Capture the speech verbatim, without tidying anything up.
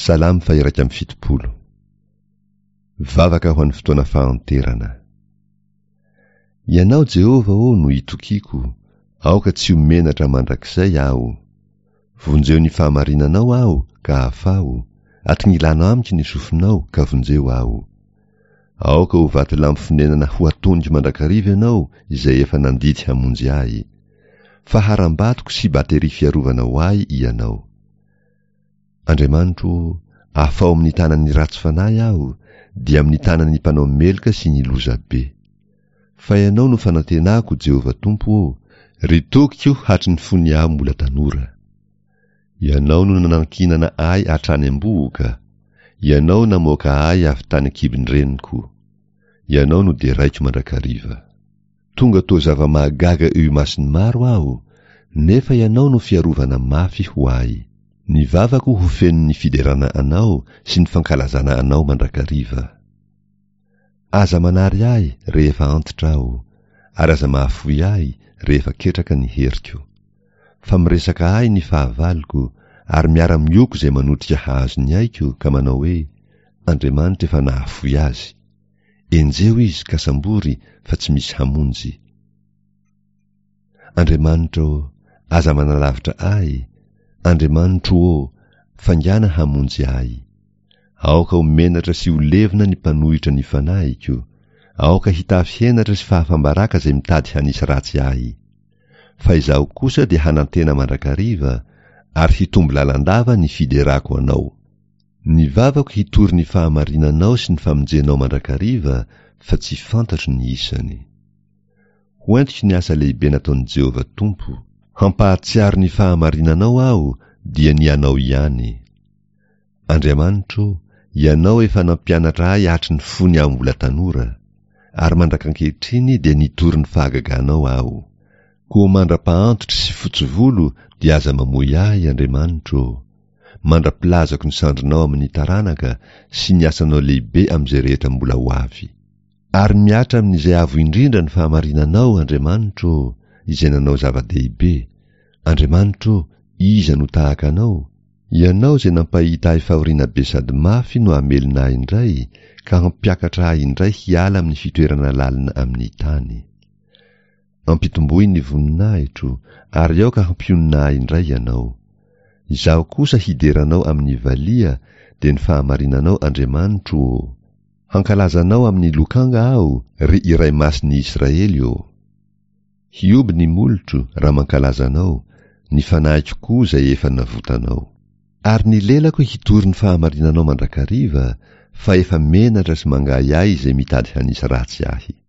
Salamo faha-iraika amby fitopolo. Vavaka ho an'ny fotoana fahanterana. Ianao Jehovah ô no itokiako, aoka tsy ho menatra mandrakizay aho. Vonjeo ny fahamarinanao aho ka afaho, atongilano amiko ny sofinao ka vonjeo aho. Aoka ho vatolampy fonenana ho atoniko mandrakariva ianao izay efa nandidy hamonjy ahy. Fa harambatoko sy bateria fiarovana ho ahy ianao. Andriamanitro ô, afaho amin'ny tanan'ny ratsy fanahy aho, dia amin'ny tanan'ny mpanao meloka sy ny lozabe. Fa ianao no fanantenako, Jehovah Tompo ô, ry tokiko hatry ny fony aho mbola tanora. Ianao no nanankinana ahy hatrany am-bohoka, Ianao namoaka ahy avy tany an-kibon-dreniko. Ianao no deraiko mandrakariva. Tonga toa zava-mahagaga eo imason'ny maro aho, nefa Ianao no fiarovana mafy ho ahy. Ny vavako ho feno ny fiderana Anao sy ny fankalazana Anao mandrakariva. Aza manary ahy rehefa antitra aho, ary aza mahafoy ahy rehefa ketraka ny heriko. Fa miresaka ahy ny fahavaloko, ary miara-mioko izay manotrika hahazo ny aiko, ka manao hoe, Andriamanitra efa nahafoy azy. Enjeho izy ka sambory fa tsy misy hamonjy. Andriamanitra ô, aza manalavitra ahy, Andriamanitro ô, faingàna hamonjy ahy. Aoka ho menatra sy ho levona ny mpanohitra ny fanahiko, aoka hitafy henatra sy fahafam-baraka izay mitady hanisy ratsy ahy. Fa izaho kosa dia hanantena mandrakariva, ary hitombo lalandava ny fiderako Anao. Ny vavako hitory ny fahamarinanao sy ny famonjenao mandrakariva, fa tsy fantatro ny isany. Ho entiko ny asa lehibe nataon'i Jehovah Tompo. Hampahatsiaro ny fahamarinanao aho, dia ny Anao ihany. Andriamanitro ô, Ianao efa nampianatra ahy hatry ny fony aho mbola tanora, ary mandrak'ankehitriny dia nitory ny fahagaganao aho. Koa mandra-pahantitro sy fotsy volo dia aza mamoy ahy, Andriamanitro ô, mandra-pilazako ny sandrinao amin'ny taranaka sy ny asanao lehibe amin'izay rehetra mbola ho avy. Ary mihatra amin'izay avo indrindra ny fahamarinanao, Andriamanitro ô, izay nanao zava-dehibe. Andriamanitro ô, iza no tahaka Anao? Ianao izay nampahita ahy fahoriana be sady mafy no hamelona ahy indray, ka hampiakatra ahy indray hiala amin'ny fitoerana lalina amin'ny tany. Ampitomboy ny voninahitro, ary aoka hampionona ahy indray Ianao. Izaho kosa hidera Anao amin'ny valiha, dia ny fahamarinanao, Andriamanitro ô. Hankalaza Anao amin'ny lokanga aho, ry Iray Masin'ny Israely ô. Hihoby ny molotro raha mankalaza Anao, ny fanahiko koa izay efa navotanao. Ary ny lelako hitory ny fahamarinanao mandrakariva, fa efa menatra sy mangahiahy izay mitady hanisy ratsy ahy.